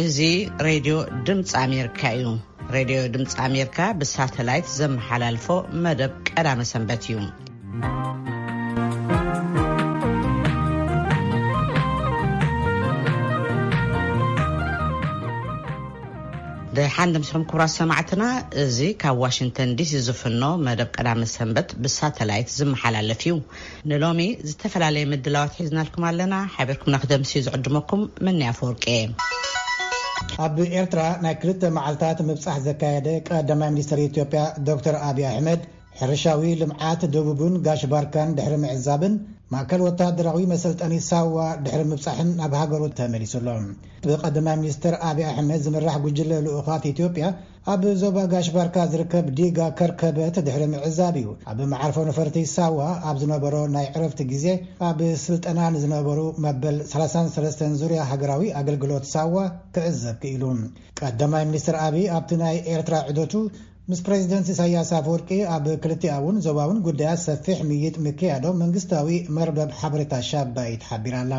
እዚ ሬድዮ ድምፂ ኣሜሪካ እዩ። ሬድዮ ድምፂ ኣሜሪካ ብሳተላይት ዘመሓላልፎ መደብ ቀዳመ ሰንበት እዩ። ደሓን ደምስኹም ክቡራት ሰማዕትና፣ እዚ ካብ ዋሽንግተን ዲሲ ዝፍኖ መደብ ቀዳመ ሰንበት ብሳተላይት ዝመሓላለፍ እዩ። ንሎሚ ዝተፈላለየ ምድላዋት ሒዝናልኩም ኣለና። ሓቢርኩምና ክደምስዩ ዝዕድመኩም መኒ ኣፈወርቂ እየ። ኣብ ኤርትራ ናይ ክልተ መዓልታት ምብጻሕ ዘካየደ ቀዳማይ ሚኒስትር ኢትዮጵያ ዶክተር ኣብይ ኣሕመድ፣ ሕርሻዊ ልምዓት ደቡብን ጋሽ ባርካን ድሕሪ ምዕዛብን ማእከል ወታደራዊ መሰልጠኒ ሳዋ ድሕሪ ምብጻሕን ናብ ሃገሩ ተመሊሱ ኣሎ። ብቀዳማይ ሚኒስትር ኣብይ ኣሕመድ ዝምራሕ ጉጅለ ልኡኻት ኢትዮጵያ ኣብ ዞባ ጋሽ ባርካ ዝርከብ ዲጋ ከርከበት ድሕሪ ምዕዛብ እዩ። ኣብ መዓርፎ ነፈርቲ ሳዋ ኣብ ዝነበሮ ናይ ዕረፍቲ ግዜ፣ ኣብ ስልጠና ንዝነበሩ መበል ሰላሳን ሰለስተን ዙርያ ሃገራዊ ኣገልግሎት ሳዋ ክዕዘብ ክኢሉ። ቀዳማይ ሚኒስትር ኣብይ ኣብቲ ናይ ኤርትራ ዑደቱ ምስ ፕሬዚደንት ኢሳያስ ኣፈወርቂ ኣብ ክልቲኣውን ዞባውን ጉዳያት ሰፊሕ ምይይጥ ምክያዶም መንግስታዊ መርበብ ሓበሬታ ሻባይት ሓቢራ ኣላ።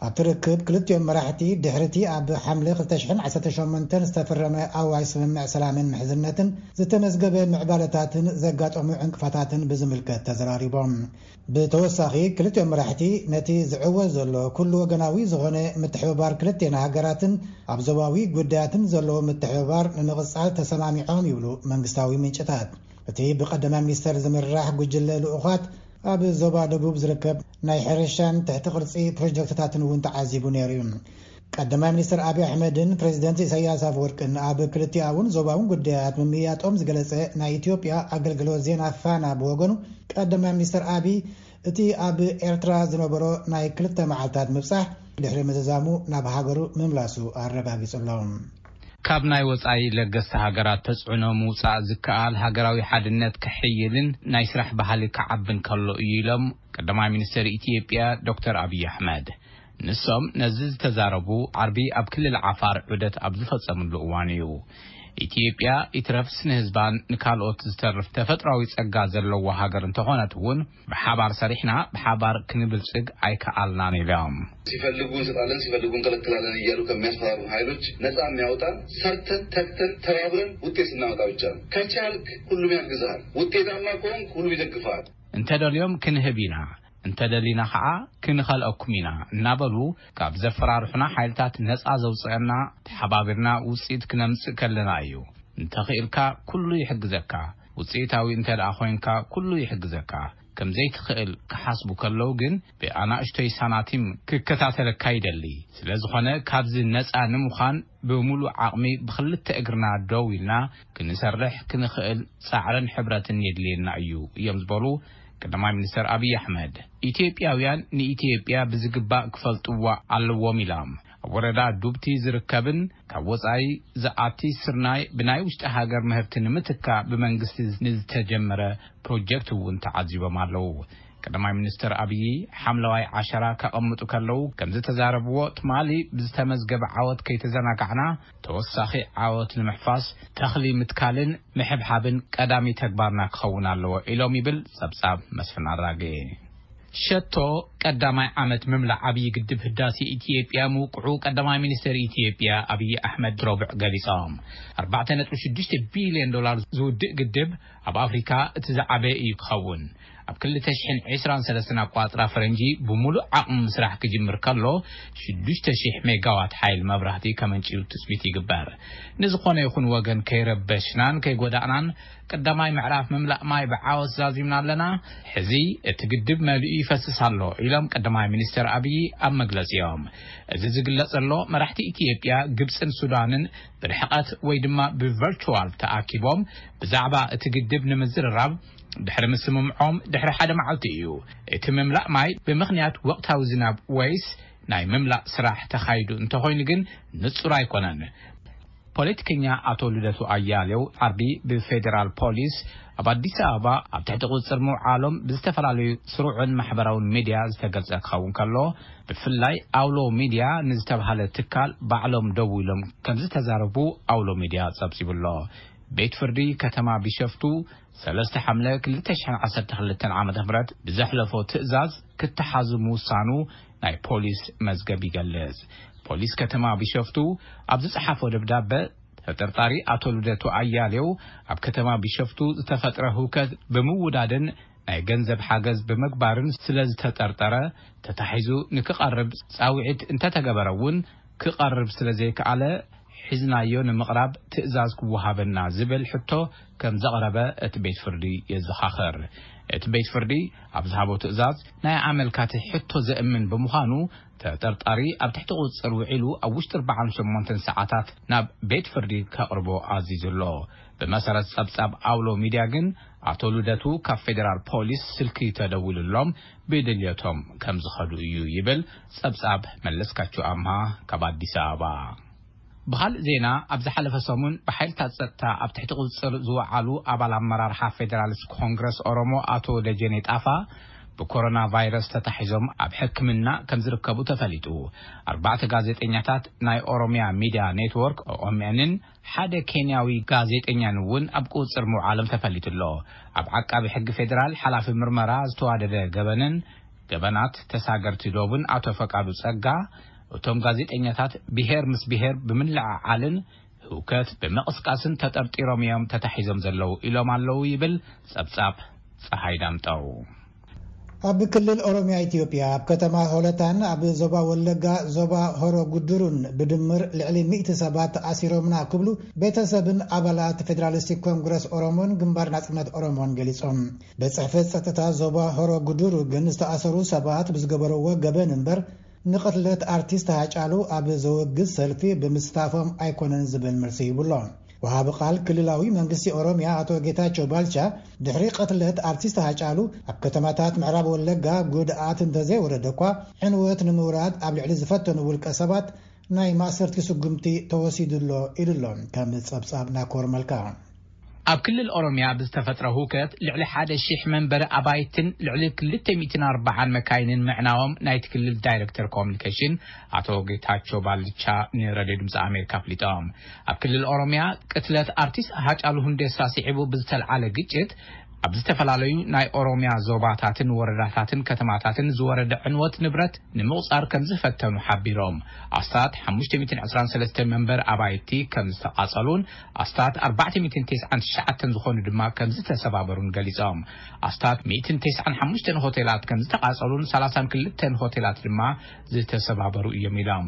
ኣብቲ ርክብ ክልቲኦም መራሕቲ ድሕሪቲ ኣብ ሓምለ ክልተ ሽሕን ዓሰርተ ሸሞንተን ዝተፈረመ ኣዋጅ ስምምዕ ሰላምን ምሕዝነትን ዝተመዝገበ ምዕባለታትን ዘጋጠሙ ዕንቅፋታትን ብዝምልከት ተዘራሪቦም። ብተወሳኺ ክልቲኦም መራሕቲ ነቲ ዝዕወት ዘሎ ኩሉ ወገናዊ ዝኾነ ምትሕብባር ክልቴና ሃገራትን ኣብ ዞባዊ ጉዳያትን ዘለዎ ምትሕብባር ንምቕጻል ተሰማሚዖም ይብሉ መንግስታዊ ምንጭታት። እቲ ብቀዳማይ ሚኒስተር ዝምራሕ ጉጅለ ልኡኻት ኣብ ዞባ ደቡብ ዝርከብ ናይ ሕርሻን ትሕቲ ቅርጺ ፕሮጀክትታትን እውን ተዓዚቡ ነይሩ እዩ። ቀዳማይ ሚኒስትር ኣብይ ኣሕመድን ፕሬዚደንት ኢሳያስ ኣፈወርቅን ኣብ ክልቲኣውን ዞባውን ጉዳያት ምምያጦም ዝገለጸ ናይ ኢትዮጵያ ኣገልግሎት ዜና ፋና ብወገኑ፣ ቀዳማይ ሚኒስትር ኣብይ እቲ ኣብ ኤርትራ ዝነበሮ ናይ ክልተ መዓልታት ምብጻሕ ድሕሪ ምዝዛሙ ናብ ሃገሩ ምምላሱ ኣረጋጊጹ ኣሎ። ካብ ናይ ወጻኢ ለገስቲ ሃገራት ተጽዕኖ ምውጻእ ዝከኣል ሃገራዊ ሓድነት ክሕይልን ናይ ስራሕ ባህሊ ክዓብን ከሎ እዩ ኢሎም ቀዳማይ ሚኒስትር ኢትዮጵያ ዶክተር ኣብይ ኣሕመድ። ንሶም ነዚ ዝተዛረቡ ዓርቢ ኣብ ክልል ዓፋር ዑደት ኣብ ዝፈጸምሉ እዋን እዩ። ኢትዮጵያ ይትረፍስ ንህዝባን ንካልኦት ዝተርፍ ተፈጥሯዊ ጸጋ ዘለዋ ሃገር እንተኾነት እውን ብሓባር ሰሪሕና ብሓባር ክንብልጽግ ኣይከኣልናን ኢሎም። ሲፈልጉ እንሰጣለን፣ ሲፈልጉ እንከለክላለን እያሉ ከሚያስፈራሩ ኃይሎች ነጻ የሚያወጣን ሰርተን ተግተን ተባብረን ውጤት ስናመጣ ብቻ ነው። ከቻልክ ሁሉም ያግዝሃል። ውጤታማ ከሆንክ ሁሉም ይደግፍሃል። እንተደልዮም ክንህብ ኢና፣ እንተደሊና ኸዓ ክንኸልአኩም ኢና እናበሉ ካብ ዘፈራርሑና ሓይልታት ነጻ ዘውፅአና ተሓባቢርና ውፅኢት ክነምፅእ ከለና እዩ። እንተኽኢልካ ኩሉ ይሕግዘካ፣ ውፅኢታዊ እንተ ደኣ ኮይንካ ኩሉ ይሕግዘካ። ከም ዘይትኽእል ክሓስቡ ከለዉ ግን ብኣናእሽቶይ ሳናቲም ክከታተለካ ይደሊ። ስለ ዝኾነ ካብዚ ነጻ ንምዃን ብምሉእ ዓቕሚ ብኽልተ እግርና ደው ኢልና ክንሰርሕ ክንኽእል ጻዕርን ሕብረትን የድልየና እዩ እዮም ዝበሉ ቀዳማይ ሚኒስትር ኣብይ ኣሕመድ። ኢትዮጵያውያን ንኢትዮጵያ ብዝግባእ ክፈልጥዋ ኣለዎም ኢሎም። ኣብ ወረዳ ዱብቲ ዝርከብን ካብ ወጻኢ ዝኣቲ ስርናይ ብናይ ውሽጢ ሃገር ምህርቲ ንምትካእ ብመንግስቲ ንዝተጀመረ ፕሮጀክት እውን ተዓዚቦም ኣለዉ። ቀዳማይ ሚኒስትር ኣብይ ሓምለዋይ ዓሸራ ከቐምጡ ከለዉ ከም ዝተዛረብዎ፣ ትማሊ ብዝተመዝገበ ዓወት ከይተዘናጋዕና ተወሳኺ ዓወት ንምሕፋስ ተኽሊ ምትካልን ምሕብሓብን ቀዳሚ ተግባርና ክኸውን ኣለዎ ኢሎም ይብል ጸብጻብ መስፍን ኣራጌ። ሸቶ ቀዳማይ ዓመት ምምላእ ዓብዪ ግድብ ህዳሴ ኢትዮጵያ ምውቅዑ ቀዳማይ ሚኒስትር ኢትዮጵያ ኣብይ ኣሕመድ ረቡዕ ገሊጾም። ኣርባዕተ ነጥቢ ሽዱሽተ ቢልዮን ዶላር ዝውድእ ግድብ ኣብ ኣፍሪካ እቲ ዝዓበየ እዩ ክኸውን። ኣብ ክልተ ሽሕን ዕስራን ሰለስተን ኣቋጽራ ፈረንጂ ብምሉእ ዓቕሚ ምስራሕ ክጅምር ከሎ ሽዱሽተ ሽሕ ሜጋዋት ሓይል መብራህቲ ከመንጭዩ ትጽቢት ይግበር። ንዝኾነ ይኹን ወገን ከይረበሽናን ከይጎዳእናን ቀዳማይ ምዕራፍ ምምላእ ማይ ብዓወት ዛዚምና ኣለና። ሕዚ እቲ ግድብ መሊኡ ይፈስስ ኣሎ ኢሎም ቀዳማይ ሚኒስትር ኣብይ ኣብ መግለጺኦም። እዚ ዝግለጽ ዘሎ መራሕቲ ኢትዮጵያ፣ ግብጽን ሱዳንን ብርሕቀት ወይ ድማ ብቨርቹዋል ተኣኪቦም ብዛዕባ እቲ ግድብ ንምዝርራብ ድሕሪ ምስምምዖም ድሕሪ ሓደ መዓልቲ እዩ። እቲ ምምላእ ማይ ብምኽንያት ወቕታዊ ዝናብ ወይስ ናይ ምምላእ ስራሕ ተኻይዱ እንተኾይኑ ግን ንጹር ኣይኮነን። ፖለቲከኛ ኣቶ ልደቱ ኣያሌው ዓርቢ ብፌዴራል ፖሊስ ኣብ ኣዲስ ኣበባ ኣብ ትሕቲ ቁጽጽር ምውዓሎም ብዝተፈላለዩ ስሩዕን ማሕበራውን ሚድያ ዝተገልጸ ክኸውን ከሎ፣ ብፍላይ ኣውሎ ሚድያ ንዝተባሃለ ትካል ባዕሎም ደዊሎም ከም ዝተዛረቡ ኣውሎ ሚድያ ጸብጺቡሎ። ቤት ፍርዲ ከተማ ቢሸፍቱ ሰለስተ ሓምለ ክልተ ሽሕን ዓሰርተ ክልተን ዓመተ ምህረት ብዘሕለፎ ትእዛዝ ክተሓዙ ምውሳኑ ናይ ፖሊስ መዝገብ ይገልጽ። ፖሊስ ከተማ ቢሸፍቱ ኣብ ዝጸሓፎ ደብዳበ፣ ተጠርጣሪ ኣቶ ልደቱ ኣያሌው ኣብ ከተማ ቢሸፍቱ ዝተፈጥረ ህውከት ብምውዳድን ናይ ገንዘብ ሓገዝ ብምግባርን ስለ ዝተጠርጠረ፣ ተታሒዙ ንክቐርብ ጻውዒት እንተተገበረ እውን ክቐርብ ስለ ዘይከኣለ፣ ሒዝናዮ ንምቕራብ ትእዛዝ ክወሃበና ዝብል ሕቶ ከም ዘቕረበ እቲ ቤት ፍርዲ የዘኻኽር። እቲ ቤት ፍርዲ ኣብ ዝሃቦ ትእዛዝ፣ ናይ ኣመልካቲ ሕቶ ዘእምን ብምዃኑ፣ ተጠርጣሪ ኣብ ትሕቲ ቁጽጽር ውዒሉ ኣብ ውሽጢ ኣርባዓን ሸሞንተን ሰዓታት ናብ ቤት ፍርዲ ከቕርቦ ኣዚዙ ኣሎ። ብመሰረት ጸብጻብ ኣውሎ ሚድያ ግን፣ ኣቶ ልደቱ ካብ ፌደራል ፖሊስ ስልኪ ተደዊሉሎም ብድልየቶም ከም ዝኸዱ እዩ ይብል ጸብጻብ መለስካቸው ኣምሃ ካብ ኣዲስ ኣበባ። ብኻልእ ዜና፣ ኣብ ዝሓለፈ ሰሙን ብሓይልታት ጸጥታ ኣብ ትሕቲ ቁጽጽር ዝወዓሉ ኣባል ኣመራርሓ ፌደራሊስት ኮንግረስ ኦሮሞ ኣቶ ደጀኔ ጣፋ ብኮሮና ቫይረስ ተታሒዞም ኣብ ሕክምና ከም ዝርከቡ ተፈሊጡ። ኣርባዕተ ጋዜጠኛታት ናይ ኦሮሚያ ሚድያ ኔትወርክ፣ ኦኤምኤንን ሓደ ኬንያዊ ጋዜጠኛን እውን ኣብ ቁጽጽር ምውዓሎም ተፈሊጡ ኣሎ። ኣብ ዓቃቢ ሕጊ ፌደራል ሓላፊ ምርመራ ዝተዋደደ ገበንን ገበናት ተሳገርቲ ዶብን ኣቶ ፈቃዱ ጸጋ፣ እቶም ጋዜጠኛታት ብሄር ምስ ብሄር ብምልዕዓልን ህውከት ብምቕስቃስን ተጠርጢሮም እዮም ተታሒዞም ዘለዉ ኢሎም ኣለዉ ይብል ጸብጻብ ጸሃይ ዳምጠው። ኣብ ክልል ኦሮሚያ ኢትዮጵያ፣ ኣብ ከተማ ሆለታን ኣብ ዞባ ወለጋ ዞባ ሆሮ ጉድሩን ብድምር ልዕሊ ሚእቲ ሰባት ተኣሲሮምና ክብሉ ቤተሰብን ኣባላት ፌደራሊስቲክ ኮንግረስ ኦሮሞን ግንባር ናጽነት ኦሮሞን ገሊጾም። ቤት ጽሕፈት ጸጥታ ዞባ ሆሮ ጉድሩ ግን ዝተኣሰሩ ሰባት ብዝገበርዎ ገበን እምበር ንቕትለት ኣርቲስት ሃጫሉ ኣብ ዘወግዝ ሰልፊ ብምስታፎም ኣይኮነን ዝብል መልሲ ሂቡሎ። ወሃቢ ቃል ክልላዊ መንግስቲ ኦሮሚያ ኣቶ ጌታቸው ባልቻ፣ ድሕሪ ቅትለት ኣርቲስት ሃጫሉ ኣብ ከተማታት ምዕራብ ወለጋ ጉድኣት እንተዘይወረደ እኳ፣ ዕንወት ንምውራድ ኣብ ልዕሊ ዝፈተኑ ውልቀ ሰባት ናይ ማእሰርቲ ስጉምቲ ተወሲዱ ኣሎ ኢሉ ኣሎ። ከም ጸብጻብ ናኮር መልካ። ኣብ ክልል ኦሮሚያ ብዝተፈጥረ ህውከት ልዕሊ ሓደ ሺሕ መንበሪ ኣባይትን ልዕሊ ክልተ ሚእትን ኣርባዓን መካይንን ምዕናዎም ናይቲ ክልል ዳይሬክተር ኮሚኒኬሽን ኣቶ ጌታቸው ባልቻ ንሬድዮ ድምፂ ኣሜሪካ ኣፍሊጦም። ኣብ ክልል ኦሮሚያ ቅትለት ኣርቲስት ሃጫሉ ሁንዴሳ ስዒቡ ብዝተልዓለ ግጭት ኣብ ዝተፈላለዩ ናይ ኦሮሚያ ዞባታትን ወረዳታትን ከተማታትን ዝወረደ ዕንወት ንብረት ንምቑጻር ከም ዝፈተኑ ሓቢሮም። ኣስታት ሓሙሽተ ሚእትን ዕስራን ሰለስተን መንበር ኣባይቲ ከም ዝተቓጸሉን ኣስታት ኣርባዕተ ሚእትን ተስዓን ትሽዓተን ዝኾኑ ድማ ከም ዝተሰባበሩን ገሊጾም። ኣስታት ሚእትን ተስዓን ሓሙሽተን ሆቴላት ከም ዝተቓጸሉን ሰላሳን ክልተን ሆቴላት ድማ ዝተሰባበሩ እዮም ኢሎም።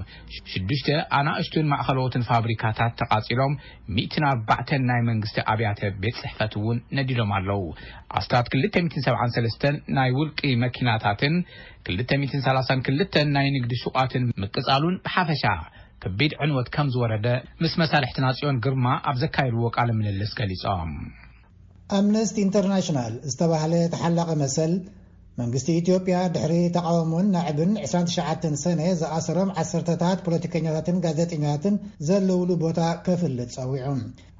ሽዱሽተ ኣናእሽቱን ማእኸለዎትን ፋብሪካታት ተቓጺሎም፣ ሚእትን ኣርባዕተን ናይ መንግስቲ ኣብያተ ቤት ጽሕፈት እውን ነዲዶም ኣለዉ። ኣስታት ክልተ ሚእትን ሰብዓን ሰለስተን ናይ ውልቂ መኪናታትን ክልተ ሚእትን ሰላሳን ክልተን ናይ ንግዲ ሹቓትን ምቅጻሉን ብሓፈሻ ከቢድ ዕንወት ከም ዝወረደ ምስ መሳርሕትና ጽዮን ግርማ ኣብ ዘካየድዎ ቃለ ምልልስ ገሊጾም። ኣምነስቲ ኢንተርናሽናል ዝተባህለ ተሓላቒ መሰል፣ መንግስቲ ኢትዮጵያ ድሕሪ ተቓውሞን ናዕብን ዕስራን ትሽዓተን ሰነ ዝኣሰሮም ዓሰርተታት ፖለቲከኛታትን ጋዜጠኛታትን ዘለውሉ ቦታ ከፍልጥ ጸዊዑ።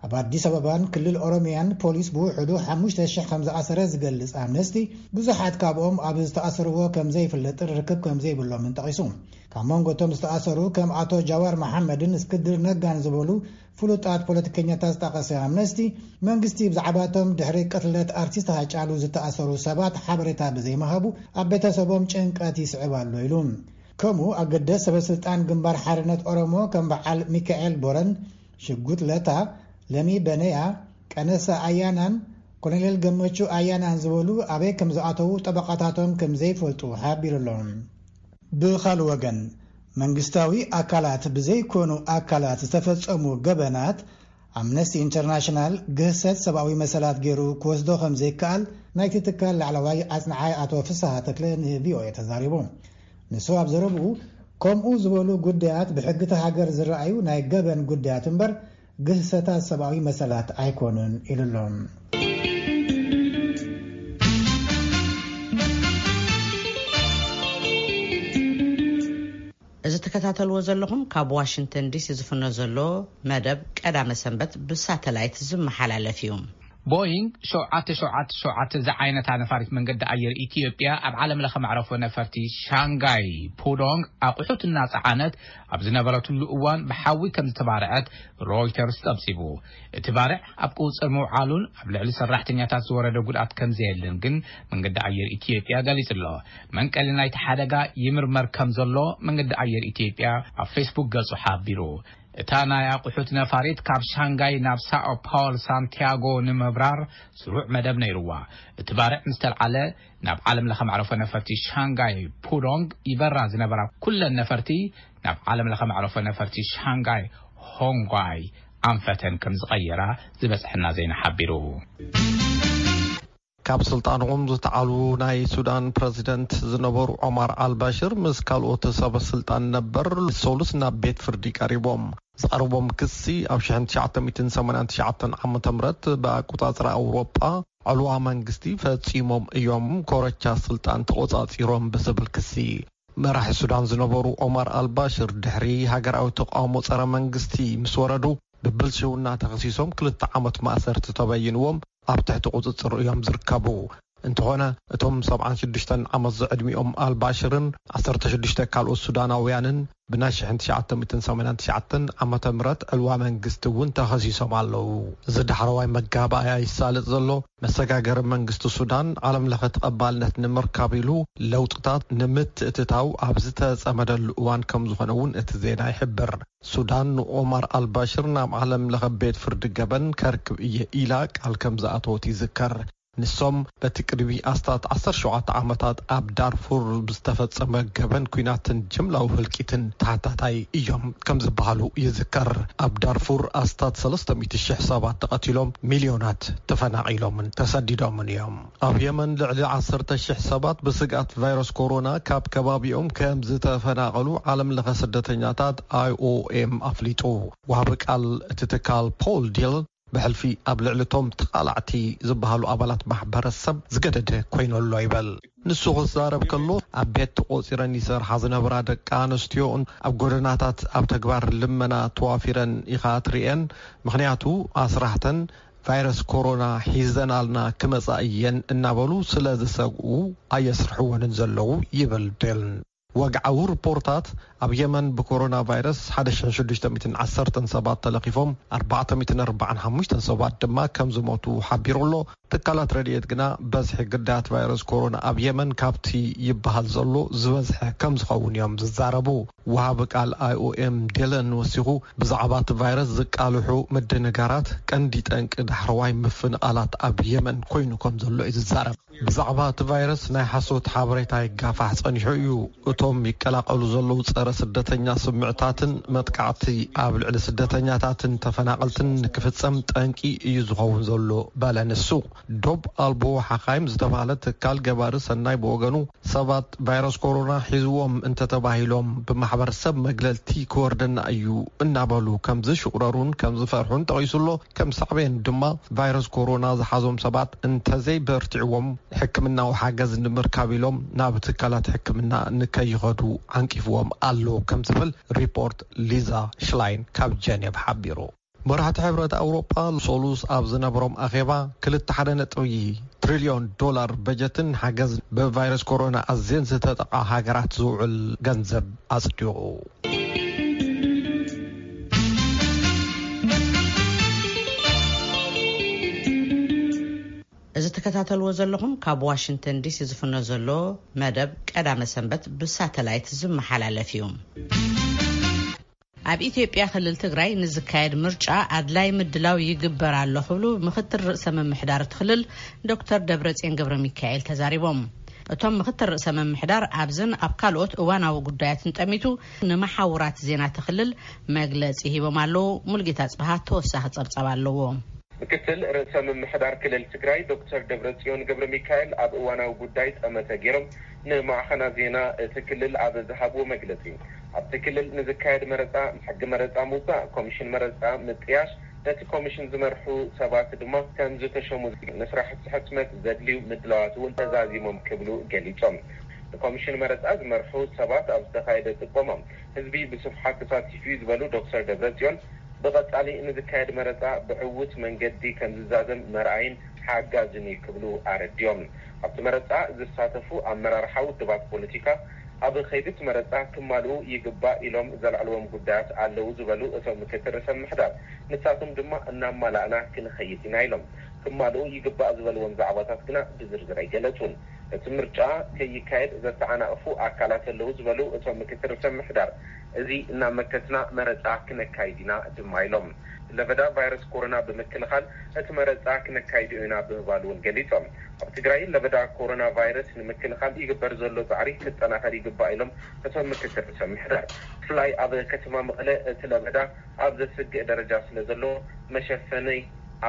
ኣብ ኣዲስ ኣበባን ክልል ኦሮሚያን ፖሊስ ብውሕዱ ሓሙሽተ ሽሕ ከም ዝኣሰረ ዝገልጽ ኣምነስቲ፣ ብዙሓት ካብኦም ኣብ ዝተኣሰርዎ ከም ዘይፍለጥን ርክብ ከም ዘይብሎምን ጠቒሱ። ካብ መንጎ እቶም ዝተኣሰሩ ከም ኣቶ ጃዋር መሓመድን እስክንድር ነጋን ዝበሉ ፍሉጣት ፖለቲከኛታት ዝጠቐሰ ኣምነስቲ፣ መንግስቲ ብዛዕባቶም ድሕሪ ቅትለት ኣርቲስት ሃጫሉ ዝተኣሰሩ ሰባት ሓበሬታ ብዘይምሃቡ ኣብ ቤተሰቦም ጭንቀት ይስዕብ ኣሎ ኢሉ። ከምኡ ኣገደስ ሰበ ስልጣን ግንባር ሓርነት ኦሮሞ ከም በዓል ሚካኤል ቦረን፣ ሽጉጥ ለታ፣ ለሚ በነያ፣ ቀነሳ ኣያናን ኮሎኔል ገመቹ ኣያናን ዝበሉ ኣበይ ከም ዝኣተዉ ጠበቓታቶም ከም ዘይፈልጡ ሓቢሩ ኣሎ። ብኻልእ ወገን፣ መንግስታዊ ኣካላት ብዘይኮኑ ኣካላት ዝተፈጸሙ ገበናት ኣምነስቲ ኢንተርናሽናል ግህሰት ሰብኣዊ መሰላት ገይሩ ክወስዶ ከም ዘይከኣል ናይቲ ትካል ላዕለዋይ ኣጽንዓይ ኣቶ ፍስሃ ተክለ ንቪኦኤ ተዛሪቡ። ንሱ ኣብ ዘረብኡ፣ ከምኡ ዝበሉ ጉዳያት ብሕጊ እታ ሃገር ዝረኣዩ ናይ ገበን ጉዳያት እምበር ግህሰታት ሰብኣዊ መሰላት ኣይኮኑን ኢሉ ኣሎ። እዚ ትከታተልዎ ዘለኹም ካብ ዋሽንግተን ዲሲ ዝፍኖ ዘሎ መደብ ቀዳመ ሰንበት ብሳተላይት ዝመሓላለፍ እዩ። ቦይንግ ሸውዓተ ሸውዓተ ሸውዓተ ዝዓይነታ ነፋሪት መንገዲ ኣየር ኢትዮጵያ ኣብ ዓለም ለኸ መዕረፎ ነፈርቲ ሻንጋይ ፑዶንግ ኣቑሑት እናጸዓነት ኣብ ዝነበረትሉ እዋን ብሓዊ ከም ዝተባርዐት ሮይተርስ ጸብጺቡ። እቲ ባርዕ ኣብ ቁጽር ምውዓሉን ኣብ ልዕሊ ሰራሕተኛታት ዝወረደ ጉድኣት ከም ዘየልን ግን መንገዲ ኣየር ኢትዮጵያ ገሊጹ ኣሎ። መንቀሊ ናይቲ ሓደጋ ይምርመር ከም ዘሎ መንገዲ ኣየር ኢትዮጵያ ኣብ ፌስቡክ ገጹ ሓቢሩ። እታ ናይ ኣቑሑት ነፋሪት ካብ ሻንጋይ ናብ ሳኦ ፓውል ሳንቲያጎ ንምብራር ስሩዕ መደብ ነይርዋ። እቲ ባርዕ ምስ ተልዓለ ናብ ዓለም ለኸ መዕረፎ ነፈርቲ ሻንጋይ ፑዶንግ ይበራ ዝነበራ ኩለን ነፈርቲ ናብ ዓለም ለኸ መዕረፎ ነፈርቲ ሻንጋይ ሆንጓይ ኣንፈተን ከም ዝቐየራ ዝበጽሐና ዜና ሓቢሩ። ካብ ስልጣኖም ዝተዓሉ ናይ ሱዳን ፕረዚደንት ዝነበሩ ዖማር ኣልባሽር ምስ ካልኦት ሰበ ስልጣን ነበር ሰሉስ ናብ ቤት ፍርዲ ቀሪቦም። ዝቐረቦም ክሲ ኣብ ሸሕን ትሽዓተ ሚእትን ሰማንያን ትሽዓተን ዓመተ ምህረት ብኣቆጻጽራ ኣውሮጳ ዕልዋ መንግስቲ ፈጺሞም እዮም፣ ኮረቻ ስልጣን ተቆጻጺሮም ብዝብል ክሲ። መራሒ ሱዳን ዝነበሩ ኦማር ኣልባሽር ድሕሪ ሃገራዊ ተቃውሞ ጸረ መንግስቲ ምስ ወረዱ ብብልሽውና ተኸሲሶም ክልተ ዓመት ማእሰርቲ ተበይንዎም ኣብ ትሕቲ ቁጽጽር እዮም ዝርከቡ። እንተኾነ እቶም ሰብዓን ሽዱሽተን ዓመት ዝዕድሚኦም ኣልባሽርን ዓሰርተ ሽዱሽተ ካልኦት ሱዳናውያንን ብናይ ሽሕን ትሽዓተ ሚእትን ሰማንያን ትሽዓተን ዓመተ ምህረት ዕልዋ መንግስቲ እውን ተኸሲሶም ኣለዉ። እዚ ዳሕረዋይ መጋባእያ ይሳለጥ ዘሎ መሰጋገሪ መንግስቲ ሱዳን ዓለም ለኸ ተቐባልነት ንምርካብ ኢሉ ለውጥታት ንምትእትታው ኣብ ዝተጸመደሉ እዋን ከም ዝኾነ እውን እቲ ዜና ይሕብር። ሱዳን ንኦማር ኣልባሽር ናብ ዓለም ለኸ ቤት ፍርዲ ገበን ከርክብ እየ ኢላ ቃል ከም ዝኣተወት ይዝከር። ንሶም በቲ ቅድሚ ኣስታት ዓሰርተ ሸውዓተ ዓመታት ኣብ ዳርፉር ብዝተፈጸመ ገበን ኲናትን ጅምላዊ ህልቂትን ተሓታታይ እዮም ከም ዝበሃሉ ይዝከር። ኣብ ዳርፉር ኣስታት ሰለስተ ሚእቲ ሽሕ ሰባት ተቐቲሎም፣ ሚልዮናት ተፈናቒሎምን ተሰዲዶምን እዮም። ኣብ የመን ልዕሊ ዓሰርተ ሽሕ ሰባት ብስግኣት ቫይረስ ኮሮና ካብ ከባቢኦም ከም ዝተፈናቐሉ ዓለም ለኸ ስደተኛታት ኣይኦኤም ኣፍሊጡ። ወሃቢ ቃል እቲ ትካል ፖል ዲል ብሕልፊ ኣብ ልዕሊ እቶም ተቓላዕቲ ዝበሃሉ ኣባላት ማሕበረሰብ ዝገደደ ኮይኑ ኣሎ ይበል። ንሱ ክዛረብ ከሎ፣ ኣብ ቤት ተቖጺረን ይሰርሓ ዝነበራ ደቂ ኣንስትዮን ኣብ ጎደናታት ኣብ ተግባር ልመና ተዋፊረን ኢኻ ትርእየን፣ ምኽንያቱ ኣስራሕተን ቫይረስ ኮሮና ሒዘናልና ክመጻ እየን እናበሉ ስለ ዝሰግኡ ኣየስርሕወንን ዘለዉ ይብል ዴልን። ወግዓዊ ሪፖርታት ኣብ የመን ብኮሮና ቫይረስ ሓደ ሽሕን ሽዱሽተ ሚእትን ዓሰርተን ሰባት ተለኺፎም፣ ኣርባዕተ ሚእትን ኣርባዓን ሓሙሽተን ሰባት ድማ ከም ዝሞቱ ሓቢሩ ኣሎ። ትካላት ረድኤት ግና በዝሒ ግዳያት ቫይረስ ኮሮና ኣብ የመን ካብቲ ይበሃል ዘሎ ዝበዝሐ ከም ዝኸውን እዮም ዝዛረቡ። ወሃቢ ቃል ኣይኦኤም ዴለን ወሲኹ፣ ብዛዕባ እቲ ቫይረስ ዝቃልሑ ምድንጋራት ቀንዲ ጠንቂ ዳሕረዋይ ምፍንቓላት ኣብ የመን ኮይኑ ከም ዘሎ እዩ ዝዛረብ። ብዛዕባ እቲ ቫይረስ ናይ ሓሶት ሓበሬታ ይጋፋሕ ጸኒሑ እዩ። እቶም ይቀላቐሉ ዘለዉ ጸረ ስደተኛ ስምዕታትን መጥቃዕቲ ኣብ ልዕሊ ስደተኛታትን ተፈናቐልትን ንክፍጸም ጠንቂ እዩ ዝኸውን ዘሎ በለ ንሱ። ዶብ ኣልቦ ሓኻይም ዝተባህለ ትካል ገባሪ ሰናይ ብወገኑ፣ ሰባት ቫይረስ ኮሮና ሒዝዎም እንተተባሂሎም ብማሕበረሰብ መግለልቲ ክወርደና እዩ እናበሉ ከም ዝሽቑረሩን ከም ዝፈርሑን ጠቒሱ ኣሎ። ከም ሳዕቤን ድማ ቫይረስ ኮሮና ዝሓዞም ሰባት እንተዘይበርቲዕዎም ሕክምናዊ ሓገዝ ንምርካብ ኢሎም ናብ ትካላት ሕክምና ንከይኸዱ ዓንቂፍዎም ኣሎ ከም ዝብል ሪፖርት ሊዛ ሽላይን ካብ ጀኔቭ ሓቢሩ። መራሕቲ ሕብረት ኣውሮጳ ሰሉስ ኣብ ዝነበሮም ኣኼባ ክልተ ሓደ ነጥቢ ትሪልዮን ዶላር በጀትን ሓገዝ ብቫይረስ ኮሮና ኣዝየን ዝተጠቓ ሃገራት ዝውዕል ገንዘብ ኣጽዲቑ። እዚ ትከታተልዎ ዘለኹም ካብ ዋሽንግተን ዲሲ ዝፍኖ ዘሎ መደብ ቀዳመ ሰንበት ብሳተላይት ዝመሓላለፍ እዩ። ኣብ ኢትዮጵያ ክልል ትግራይ ንዝካየድ ምርጫ ኣድላይ ምድላው ይግበር ኣሎ ክብሉ ምክትል ርእሰ ምምሕዳር እቲ ክልል ዶክተር ደብረጽዮን ገብረ ሚካኤል ተዛሪቦም። እቶም ምክትል ርእሰ ምምሕዳር ኣብዝን ኣብ ካልኦት እዋናዊ ጉዳያትን ጠሚቱ ንመሓውራት ዜና እቲ ክልል መግለጺ ሂቦም ኣለዉ። ሙልጌታ ጽብሃ ተወሳኺ ጸብጻብ ኣለዎ። ምክትል ርእሰ ምምሕዳር ክልል ትግራይ ዶክተር ደብረጽዮን ገብረ ሚካኤል ኣብ እዋናዊ ጉዳይ ጠመተ ገይሮም ንማዕኸና ዜና እቲ ክልል ኣብ ዝሃብዎ መግለጺ፣ ኣብቲ ክልል ንዝካየድ መረጻ፣ ሕጊ መረጻ ምውጻእ፣ ኮሚሽን መረጻ ምጥያሽ፣ ነቲ ኮሚሽን ዝመርሑ ሰባት ድማ ከም ዝተሸሙ፣ ንስራሕቲ ሕትመት ዘድልዩ ምድላዋት እውን ተዛዚሞም ክብሉ ገሊጾም። ንኮሚሽን መረጻ ዝመርሑ ሰባት ኣብ ዝተኻየደ ጥቆማ፣ ህዝቢ ብስፍሓት ተሳቲፉ እዩ ዝበሉ ዶክተር ደብረጽዮን፣ ብቐጻሊ ንዝካየድ መረጻ ብዕዉት መንገዲ ከም ዝዛዘም መርኣይን ሓጋዝን እዩ ክብሉ ኣረዲኦም። ኣብቲ መረጻ ዝሳተፉ ኣመራርሓ ውድባት ፖለቲካ፣ ኣብ ከይዲ እቲ መረጻ ክማልኡ ይግባእ ኢሎም ዘልዕልዎም ጉዳያት ኣለዉ ዝበሉ እቶም ምክትል ርእሰ ምምሕዳር፣ ንሳቶም ድማ እናማላእና ክንኸይድ ኢና ኢሎም። ክማልኡ ይግባእ ዝበልዎም ዛዕባታት ግና ብዝርዝር ኣይገለጹን። እቲ ምርጫ ከይካየድ ዘተዓናቕፉ ኣካላት ኣለዉ ዝበሉ እቶም ምክትል ርእሰ ምምሕዳር፣ እዚ እናመከትና መረጻ ክነካይድ ኢና ድማ ኢሎም። ለበዳ ቫይረስ ኮሮና ብምክልኻል እቲ መረጻ ክነካይዶ ኢና ብምባል እውን ገሊጾም። ኣብ ትግራይ ለበዳ ኮሮና ቫይረስ ንምክልኻል ይግበር ዘሎ ጻዕሪ ክጠናኸር ይግባእ ኢሎም እቶም ምክትል ርእሰ ምምሕዳር። ብፍላይ ኣብ ከተማ መቐለ እቲ ለበዳ ኣብ ዘስግእ ደረጃ ስለ ዘሎ፣ መሸፈኒ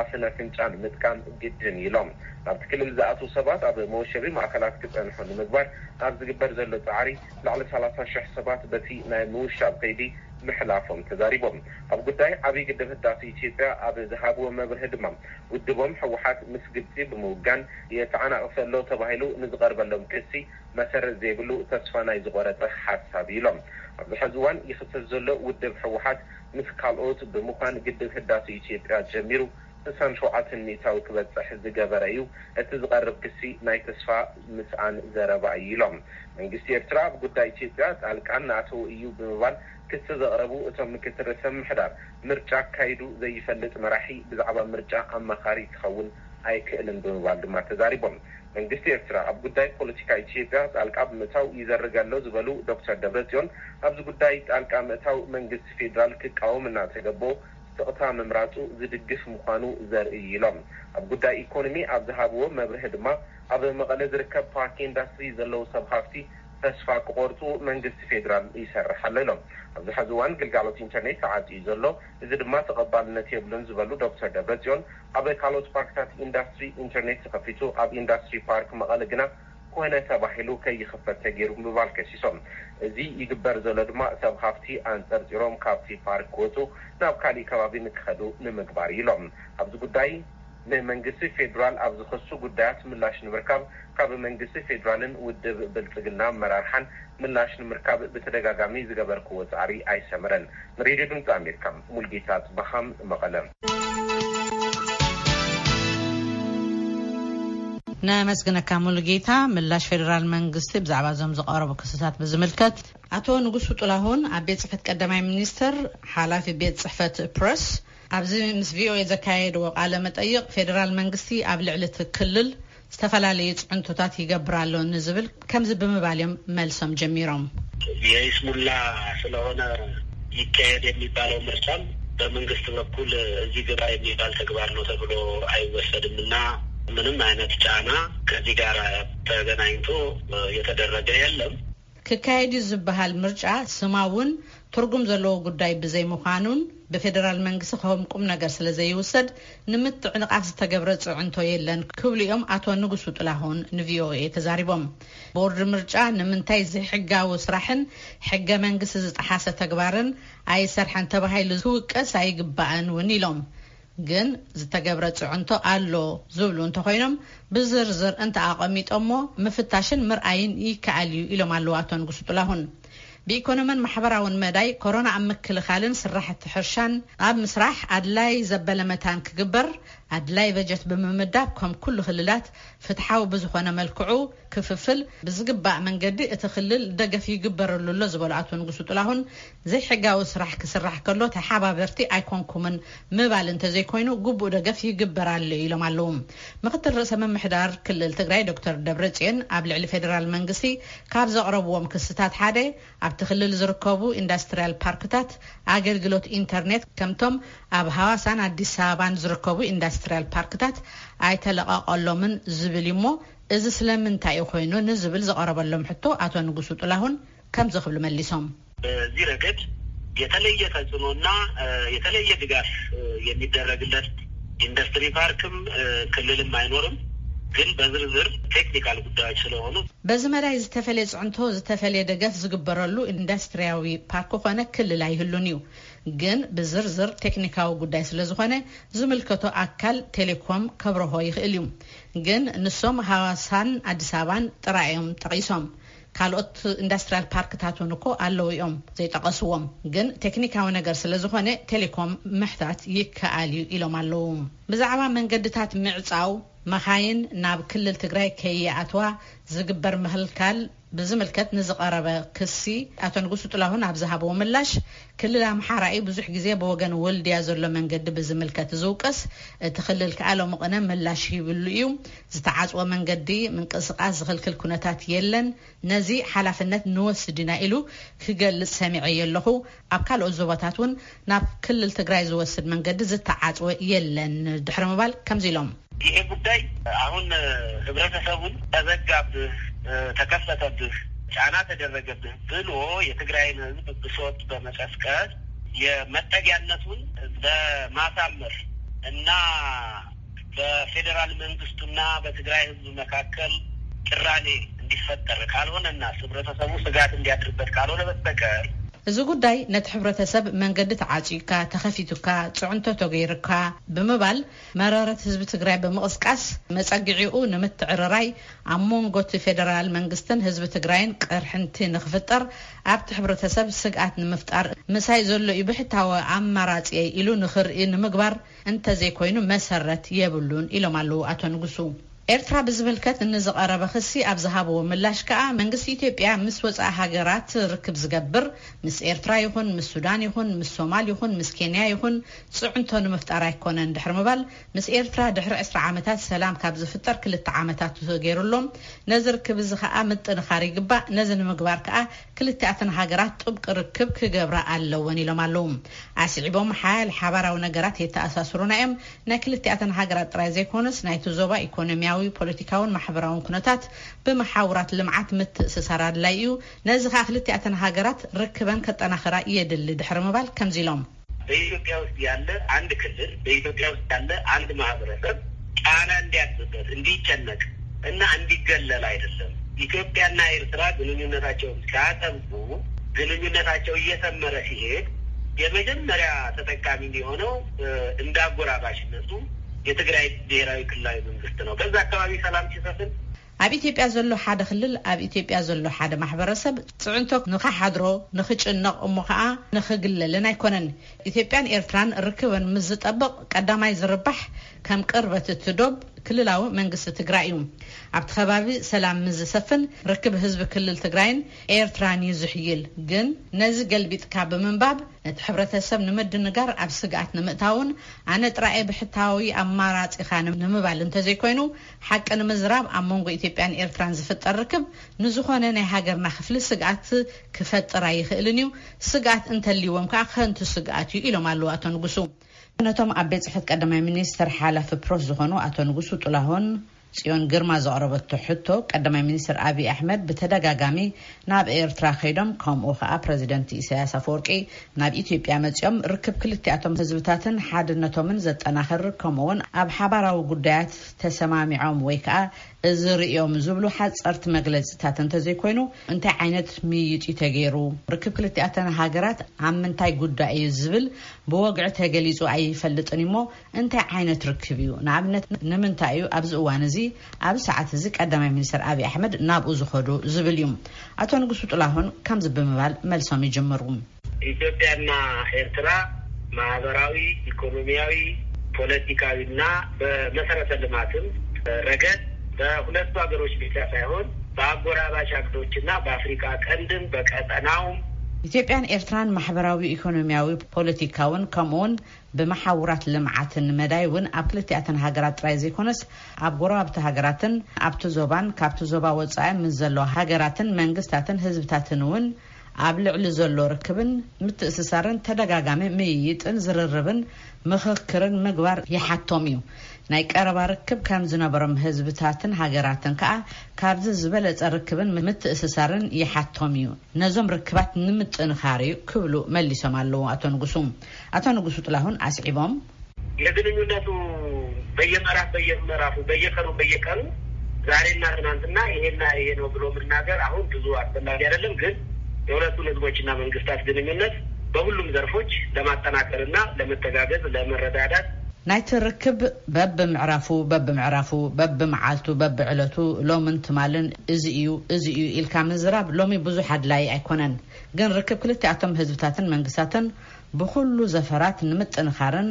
ኣፍን ኣፍንጫን ምጥቃም ግድን ኢሎም። ናብቲ ክልል ዝኣትዉ ሰባት ኣብ መወሸቢ ማእከላት ክጸንሑ ንምግባር ኣብ ዝግበር ዘሎ ጻዕሪ፣ ልዕሊ ሰላሳ ሽሕ ሰባት በቲ ናይ ምውሻብ ከይዲ ምሕላፎም ተዛሪቦም። ኣብ ጉዳይ ዓብዪ ግድብ ህዳሴ ኢትዮጵያ ኣብ ዝሃብዎ መብርሂ ድማ፣ ውድቦም ህወሓት ምስ ግብጺ ብምውጋን የተዓናቕፍ ኣሎ ተባሂሉ ንዝቐርበሎም ክሲ መሰረት ዘይብሉ፣ ተስፋ ናይ ዝቖረጸ ሓሳብ ኢሎም። ኣብዚ ሕዚ እዋን ይኽሰስ ዘሎ ውድብ ህወሓት ምስ ካልኦት ብምዃን ግድብ ህዳሴ ኢትዮጵያ ጀሚሩ ስሳን ሸውዓተን ሚእታዊ ክበጽሕ ዝገበረ እዩ። እቲ ዝቐርብ ክሲ ናይ ተስፋ ምስኣን ዘረባ እዩ ኢሎም። መንግስቲ ኤርትራ ኣብ ጉዳይ ኢትዮጵያ ጣልቃ እናኣተወ እዩ ብምባል ክሲ ዘቕረቡ እቶም ምክትል ርእሰ ምምሕዳር፣ ምርጫ ኣካይዱ ዘይፈልጥ መራሒ ብዛዕባ ምርጫ ኣማኻሪ ክኸውን ኣይክእልን ብምባል ድማ ተዛሪቦም። መንግስቲ ኤርትራ ኣብ ጉዳይ ፖለቲካ ኢትዮጵያ ጣልቃ ብምእታው ይዘርግ ኣሎ ዝበሉ ዶክተር ደብረጽዮን፣ ኣብዚ ጉዳይ ጣልቃ ምእታው መንግስቲ ፌዴራል ክቃወም እናተገበኦ ስቕታ ምምራጹ ዝድግፍ ምዃኑ ዘርኢ እዩ ኢሎም። ኣብ ጉዳይ ኢኮኖሚ ኣብ ዝሃብዎ መብርሂ ድማ፣ ኣብ መቐለ ዝርከብ ፓርክ ኢንዳስትሪ ዘለዉ ሰብ ሃፍቲ ተስፋ ክቖርጹ መንግስቲ ፌዴራል ይሰርሕ ኣሎ ኢሎም። ኣብዚ ሕዚ እዋን ግልጋሎት ኢንተርኔት ተዓጽዩ ዘሎ፣ እዚ ድማ ተቐባልነት የብሉን ዝበሉ ዶክተር ደብረጽዮን፣ ኣብ ካልኦት ፓርክታት ኢንዳስትሪ ኢንተርኔት ተኸፊቱ፣ ኣብ ኢንዳስትሪ ፓርክ መቐለ ግና ኮነ ተባሂሉ ከይኽፈት ተገይሩ ብምባል ከሲሶም። እዚ ይግበር ዘሎ ድማ ሰብ ሃፍቲ ኣንጸርጺሮም ካብቲ ፓርክ ክወጹ፣ ናብ ካሊእ ከባቢ ንክኸዱ ንምግባር እዩ ኢሎም። ኣብዚ ጉዳይ ንመንግስቲ ፌዴራል ኣብ ዝኸሱ ጉዳያት ምላሽ ንምርካብ ካብ መንግስቲ ፌዴራልን ውድብ ብልጽግና ኣመራርሓን ምላሽ ንምርካብ ብተደጋጋሚ ዝገበርክዎ ጻዕሪ ኣይሰመረን። ንሬድዮ ድምጺ ኣሜሪካ ሙልጌታ ጽበሃም መቐለ። ነመስግነካ ሙሉጌታ። ምላሽ ፌዴራል መንግስቲ ብዛዕባ እዞም ዝቐረቡ ክስታት ብዝምልከት፣ ኣቶ ንጉሱ ጥላሁን ኣብ ቤት ጽሕፈት ቀዳማይ ሚኒስትር ሓላፊ ቤት ጽሕፈት ፕረስ ኣብዚ ምስ ቪኦኤ ዘካየድዎ ቃለ መጠይቕ፣ ፌዴራል መንግስቲ ኣብ ልዕሊ እቲ ክልል ዝተፈላለዩ ጽዕንቶታት ይገብር ኣሎ ንዝብል ከምዚ ብምባል እዮም መልሶም ጀሚሮም። የይስሙላ ስለሆነ ይካሄድ የሚባለው ምርጫም በመንግስት በኩል እዚህ ግባ የሚባል ተግባር ነው ተብሎ አይወሰድም እና ምንም አይነት ጫና ከዚህ ጋር ተገናኝቶ የተደረገ የለም። ክካየድ እዩ ዝበሃል ምርጫ ስማውን ትርጉም ዘለዎ ጉዳይ ብዘይምዃኑን ብፌዴራል መንግስቲ ከም ቁም ነገር ስለ ዘይውሰድ ንምትዕንቓፍ ዝተገብረ ጽዕንቶ የለን ክብሉ እዮም ኣቶ ንጉሱ ጥላሁን ንቪኦኤ ተዛሪቦም። ቦርድ ምርጫ ንምንታይ ዘይሕጋዊ ስራሕን ሕገ መንግስቲ ዝጠሓሰ ተግባርን ኣይሰርሐን ተባሂሉ ክውቀስ ኣይግባእን እውን ኢሎም። ግን ዝተገብረ ጽዕንቶ ኣሎ ዝብሉ እንተኾይኖም ብዝርዝር እንተኣቐሚጦሞ ምፍታሽን ምርኣይን ይከኣል እዩ ኢሎም ኣለዉ ኣቶ ንጉሱ ጥላሁን። ብኢኮኖምን ማሕበራውን መዳይ ኮሮና ኣብ ምክልኻልን ስራሕቲ ሕርሻን ኣብ ምስራሕ ኣድላይ ዘበለ መታን ክግበር ኣድላይ በጀት ብምምዳብ ከም ኩሉ ክልላት ፍትሓዊ ብዝኾነ መልክዑ ክፍፍል ብዝግባእ መንገዲ እቲ ክልል ደገፍ ይግበረሉ ኣሎ ዝበሉ ኣቶ ንጉሱ ጥላሁን ዘይሕጋዊ ስራሕ ክስራሕ ከሎ ተሓባበርቲ ኣይኮንኩምን ምባል እንተዘይኮይኑ ግቡእ ደገፍ ይግበር ኣሎ ኢሎም ኣለዉ። ምክትል ርእሰ ምምሕዳር ክልል ትግራይ ዶክተር ደብረጽዮን ኣብ ልዕሊ ፌዴራል መንግስቲ ካብ ዘቕረብዎም ክስታት ሓደ ኣብቲ ክልል ዝርከቡ ኢንዳስትሪያል ፓርክታት ኣገልግሎት ኢንተርኔት ከምቶም ኣብ ሃዋሳን ኣዲስ ኣበባን ዝርከቡ ኢንዳስትሪያል ፓርክታት ኣይተለቐቐሎምን ዝብል እዩ እሞ እዚ ስለምንታይ እዩ ኮይኑ ንዝብል ዝቐረበሎም ሕቶ ኣቶ ንጉሱ ጥላሁን ከምዚ ክብሉ መሊሶም። በዚህ ረገድ የተለየ ተጽዕኖና የተለየ ድጋፍ የሚደረግለት ኢንዱስትሪ ፓርክም ክልልም አይኖርም። ግን በዝርዝር ቴክኒካል ጉዳዮች ስለሆኑ በዚ መዳይ ዝተፈለየ ጽዕንቶ ዝተፈለየ ደገፍ ዝግበረሉ ኢንዱስትሪያዊ ፓርክ ኮነ ክልል ኣይህሉን እዩ። ግን ብዝርዝር ቴክኒካዊ ጉዳይ ስለ ዝኾነ ዝምልከቶ ኣካል ቴሌኮም ከብረሆ ይኽእል እዩ። ግን ንሶም ሃዋሳን ኣዲስ ኣበባን ጥራይ እዮም ጠቒሶም። ካልኦት ኢንዱስትሪያል ፓርክታት እውን እኮ ኣለዉ እዮም ዘይጠቐስዎም፣ ግን ቴክኒካዊ ነገር ስለ ዝኾነ ቴሌኮም ምሕታት ይከኣል እዩ ኢሎም ኣለዉ። ብዛዕባ መንገድታት ምዕጻው፣ መኻይን ናብ ክልል ትግራይ ከይኣትዋ ዝግበር ምኽልካል ብዝምልከት ንዝቐረበ ክሲ፣ ኣቶ ንጉሱ ጥላሁን ኣብ ዝሃብዎ ምላሽ፣ ክልል ኣምሓራ እዩ ብዙሕ ግዜ ብወገን ወልድያ ዘሎ መንገዲ ብዝምልከት ዝውቀስ፣ እቲ ክልል ከኣ ሎሚ ቅነ ምላሽ ሂብሉ እዩ። ዝተዓጽወ መንገዲ ምንቅስቃስ ዝኽልክል ኩነታት የለን። ነዚ ሓላፍነት ንወስድ ኢና ኢሉ ክገልጽ ሰሚዐዮ ኣለኹ። ኣብ ካልኦት ዞባታት እውን ናብ ክልል ትግራይ ዝወስድ መንገዲ ዝተዓጽወ የለን ድሕሪ ምባል ከምዚ ኢሎም። ይሄ ጉዳይ አሁን ህብረተሰቡን ተዘጋብህ፣ ተከፈተብህ፣ ጫና ተደረገብህ ብሎ የትግራይን ህዝብ ብሶት በመቀስቀስ የመጠጊያነቱን ለማሳመር እና በፌዴራል መንግስቱና በትግራይ ህዝብ መካከል ቅራኔ እንዲፈጠር ካልሆነና ህብረተሰቡ ስጋት እንዲያድርበት ካልሆነ በስተቀር፣ እዚ ጉዳይ ነቲ ሕብረተሰብ መንገዲ ተዓጺዩካ፣ ተኸፊቱካ፣ ጽዕንቶ ተገይሩካ ብምባል መረረት ህዝቢ ትግራይ ብምቕስቃስ መጸግዒኡ ንምትዕርራይ ኣብ መንጎ እቲ ፌደራል መንግስትን ህዝቢ ትግራይን ቅርሕንቲ ንክፍጠር ኣብቲ ሕብረተሰብ ስግኣት ንምፍጣር ምሳይ ዘሎ እዩ ብሕታዊ ኣማራጺ ኢሉ ንክርኢ ንምግባር እንተዘይኮይኑ መሰረት የብሉን ኢሎም ኣለዉ ኣቶ ንጉሱ። ኤርትራ ብዝምልከት ንዝቐረበ ክሲ ኣብ ዝሃብዎ ምላሽ ከኣ መንግስቲ ኢትዮጵያ ምስ ወጻኢ ሃገራት ርክብ ዝገብር ምስ ኤርትራ ይኹን ምስ ሱዳን ይኹን ምስ ሶማል ይኹን ምስ ኬንያ ይኹን ጽዕንቶ ንምፍጣር ኣይኮነን ድሕሪ ምባል ምስ ኤርትራ ድሕሪ ዕስራ ዓመታት ሰላም ካብ ዝፍጠር ክልተ ዓመታት ተገይሩ ኣሎ። ነዚ ርክብ እዚ ከኣ ምጥንኻር ይግባእ። ነዚ ንምግባር ከኣ ክልቲኣተን ሃገራት ጥብቂ ርክብ ክገብራ ኣለወን ኢሎም ኣለዉ። ኣስዒቦም ሓያል ሓባራዊ ነገራት የተኣሳስሩና እዮም። ናይ ክልቲኣተን ሃገራት ጥራይ ዘይኮነስ ናይቲ ዞባ ኢኮኖሚያዊ፣ ፖለቲካውን ማሕበራውን ኩነታት ብመሓውራት ልምዓት ምትእስሳር ኣድላይ እዩ። ነዚ ከኣ ክልቲኣተን ሃገራት ርክበን ከጠናኽራ የድሊ ድሕሪ ምባል ከምዚ ኢሎም። በኢትዮጵያ ውስጥ ያለ አንድ ክልል፣ በኢትዮጵያ ውስጥ ያለ አንድ ማህበረሰብ ጫና እንዲያድርበት፣ እንዲጨነቅ እና እንዲገለል አይደለም። ኢትዮጵያና ኤርትራ ግንኙነታቸውን ሲያጠብቁ ግንኙነታቸው እየሰመረ ሲሄድ የመጀመሪያ ተጠቃሚ የሚሆነው እንዳጎራባሽነቱ የትግራይ ብሔራዊ ክልላዊ መንግስት ነው። በዛ አካባቢ ሰላም ሲሰፍን ኣብ ኢትዮጵያ ዘሎ ሓደ ክልል፣ ኣብ ኢትዮጵያ ዘሎ ሓደ ማሕበረሰብ ጽዕንቶ ንኸሓድሮ፣ ንኽጭነቕ፣ እሞ ኸኣ ንኽግለልን ኣይኮነን። ኢትዮጵያን ኤርትራን ርክበን ምስ ዝጠብቕ ቀዳማይ ዝርባሕ ከም ቅርበት እቲ ዶብ ክልላዊ መንግስቲ ትግራይ እዩ። ኣብቲ ከባቢ ሰላም ምስ ዝሰፍን ርክብ ህዝቢ ክልል ትግራይን ኤርትራን እዩ ዝሕይል። ግን ነዚ ገልቢጥካ ብምንባብ ነቲ ሕብረተሰብ ንምድንጋር ኣብ ስግኣት ንምእታውን ኣነ ጥራየ ብሕታዊ ኣማራጺኻ ንምባል እንተዘይኮይኑ ሓቂ ንምዝራብ ኣብ መንጎ ኢትዮጵያን ኤርትራን ዝፍጠር ርክብ ንዝኾነ ናይ ሃገርና ክፍሊ ስግኣት ክፈጥር ኣይኽእልን እዩ። ስግኣት እንተልይዎም ከዓ ከንቱ ስግኣት እዩ ኢሎም ኣለዉ ኣቶ ንጉሱ። ነቶም ኣብ ቤት ጽሕፈት ቀዳማይ ሚኒስትር ሓላፊ ፕሮስ ዝኾኑ ኣቶ ንጉሱ ጥላሁን ጽዮን ግርማ ዘቕረበቶ ሕቶ ቀዳማይ ሚኒስትር ኣብይ ኣሕመድ ብተደጋጋሚ ናብ ኤርትራ ከይዶም ከምኡ ከዓ ፕረዚደንት ኢሳያስ ኣፈወርቂ ናብ ኢትዮጵያ መጺኦም ርክብ ክልቲኣቶም ህዝብታትን ሓድነቶምን ዘጠናኽር ከምኡ እውን ኣብ ሓባራዊ ጉዳያት ተሰማሚዖም ወይ ከዓ እዚ ርእዮም ዝብሉ ሓጸርቲ መግለጺታት እንተዘይኮይኑ እንታይ ዓይነት ምይይጥ እዩ ተገይሩ? ርክብ ክልቲኣተን ሃገራት ኣብ ምንታይ ጉዳይ እዩ ዝብል ብወግዒ ተገሊጹ ኣይፈልጥን እሞ እንታይ ዓይነት ርክብ እዩ? ንኣብነት ንምንታይ እዩ ኣብዚ እዋን እዚ ኣብዚ ሰዓት እዚ ቀዳማይ ሚኒስትር ኣብይ ኣሕመድ ናብኡ ዝኸዱ ዝብል እዩ። ኣቶ ንጉሱ ጥላሁን ከምዚ ብምባል መልሶም ይጅምሩ። ኢትዮጵያና ኤርትራ ማህበራዊ፣ ኢኮኖሚያዊ፣ ፖለቲካዊና በመሰረተ ልማትም ረገድ በሁለቱ ሀገሮች ብቻ ሳይሆን በአጎራባች ሀገሮችና በአፍሪካ ቀንድም በቀጠናውም ኢትዮጵያን ኤርትራን ማሕበራዊ፣ ኢኮኖሚያዊ፣ ፖለቲካውን ከምኡውን ብመሓውራት ልምዓትን መዳይ እውን ኣብ ክልቲኣተን ሃገራት ጥራይ ዘይኮነስ ኣብ ጎረባብቲ ሃገራትን ኣብቲ ዞባን ካብቲ ዞባ ወፃኢ ምስ ዘለዋ ሃገራትን መንግስታትን ህዝብታትን እውን ኣብ ልዕሊ ዘሎ ርክብን ምትእስሳርን ተደጋጋሚ ምይይጥን ዝርርብን ምኽክርን ምግባር ይሓቶም እዩ። ናይ ቀረባ ርክብ ከም ዝነበሮም ህዝብታትን ሃገራትን ከዓ ካብዚ ዝበለፀ ርክብን ምትእስሳርን ይሓቶም እዩ። ነዞም ርክባት ንምጥንኻር እዩ ክብሉ መሊሶም ኣለዉ ኣቶ ንጉሱ። ኣቶ ንጉሱ ጥላሁን ኣስዒቦም። የግንኙነቱ በየምዕራፍ በየምዕራፉ በየቀኑ በየቀኑ ዛሬና ትናንትና ይሄና ይሄ ነው ብሎ መናገር አሁን ብዙ አስፈላጊ አይደለም። ግን የሁለቱን ህዝቦችና መንግስታት ግንኙነት በሁሉም ዘርፎች ለማጠናከርና ለመተጋገዝ ለመረዳዳት ናይቲ ርክብ በብምዕራፉ በብምዕራፉ በብመዓልቱ በብዕለቱ ሎምን ትማልን እዚ እዩ፣ እዚ እዩ ኢልካ ምዝራብ ሎሚ ብዙሕ ኣድላዪ ኣይኮነን። ግን ርክብ ክልቲኣቶም ህዝብታትን መንግስታትን ብኹሉ ዘፈራት ንምጥንኻርን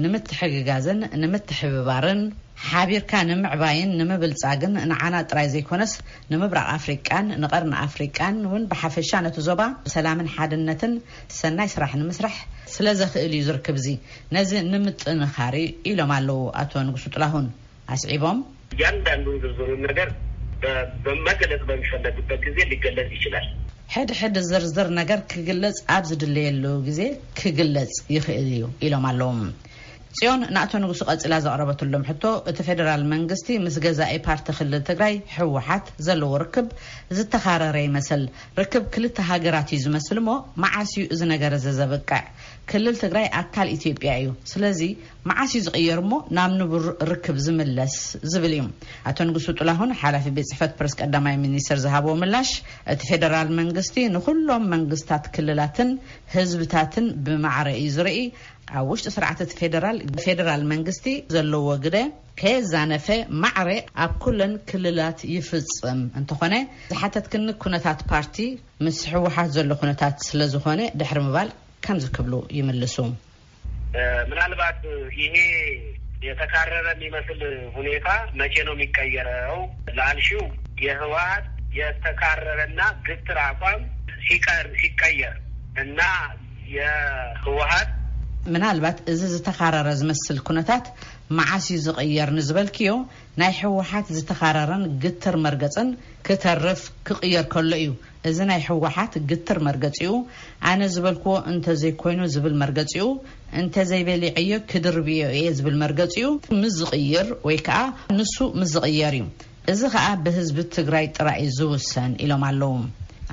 ንምትሕግጋዝን ንምትሕብባርን ሓቢርካ ንምዕባይን ንምብልጻግን ንዓና ጥራይ ዘይኮነስ ንምብራቕ ኣፍሪቃን ንቐርኒ ኣፍሪቃን እውን ብሓፈሻ ነቲ ዞባ ሰላምን ሓድነትን ሰናይ ስራሕ ንምስራሕ ስለ ዘኽእል እዩ ዝርክብ እዚ። ነዚ ንምጥንኻር እዩ ኢሎም ኣለዉ ኣቶ ንጉሱ ጥላሁን ኣስዒቦም። እያንዳንዱን ዝርዝሩን ነገር በ- በመገለጽ በሚፈለግበት ጊዜ ሊገለጽ ይችላል። ሕድ ሕድ ዝርዝር ነገር ክግለጽ ኣብ ዝድለየሉ ግዜ ክግለጽ ይኽእል እዩ ኢሎም ኣለዉ። ጽዮን ንኣቶ ንጉሱ ቀጺላ ዘቕረበትሎም ሕቶ፣ እቲ ፌደራል መንግስቲ ምስ ገዛኢ ፓርቲ ክልል ትግራይ ህወሓት ዘለዎ ርክብ ዝተኻረረ ይመስል። ርክብ ክልተ ሃገራት እዩ ዝመስል እሞ መዓስ እዩ እዚ ነገር እዚ ዘብቅዕ? ክልል ትግራይ ኣካል ኢትዮጵያ እዩ። ስለዚ መዓስ እዩ ዝቕየር እሞ ናብ ንቡር ርክብ ዝምለስ ዝብል እዩ። ኣቶ ንጉሱ ጥላሁን ሓላፊ ቤት ጽሕፈት ፕረስ ቀዳማይ ሚኒስትር ዝሃብዎ ምላሽ፣ እቲ ፌደራል መንግስቲ ንኹሎም መንግስታት ክልላትን ህዝብታትን ብማዕረ እዩ ዝርኢ። ኣብ ውሽጢ ስርዓት እቲ ፌደራል ፌደራል መንግስቲ ዘለዎ ግደ ከየዛነፈ ማዕረ ኣብ ኩለን ክልላት ይፍጽም። እንተኾነ ዝሓተትክኒ ኩነታት ፓርቲ ምስ ህወሓት ዘሎ ኩነታት ስለ ዝኾነ ድሕሪ ምባል ከምዚ ክብሉ ይምልሱ። ምናልባት ይሄ የተካረረ የሚመስል ሁኔታ መቼ ነው የሚቀየረው ላልሽው፣ የህወሓት የተካረረና ግትር አቋም ሲቀር ሲቀየር እና የህወሓት ምናልባት እዚ ዝተኻረረ ዝመስል ኩነታት መዓስ እዩ ዝቕየር ንዝበልክዮ፣ ናይ ህወሓት ዝተኻረረን ግትር መርገጽን ክተርፍ ክቕየር ከሎ እዩ። እዚ ናይ ህወሓት ግትር መርገጺኡ፣ ኣነ ዝበልክዎ እንተዘይኮይኑ ዝብል መርገጺኡ፣ እንተዘይበሊዐዮ ክድርብዮ እየ ዝብል መርገጺኡ ምስ ዝቕይር ወይ ከኣ ንሱ ምስ ዝቕየር እዩ። እዚ ከኣ ብህዝቢ ትግራይ ጥራይ እዩ ዝውሰን ኢሎም ኣለዉ።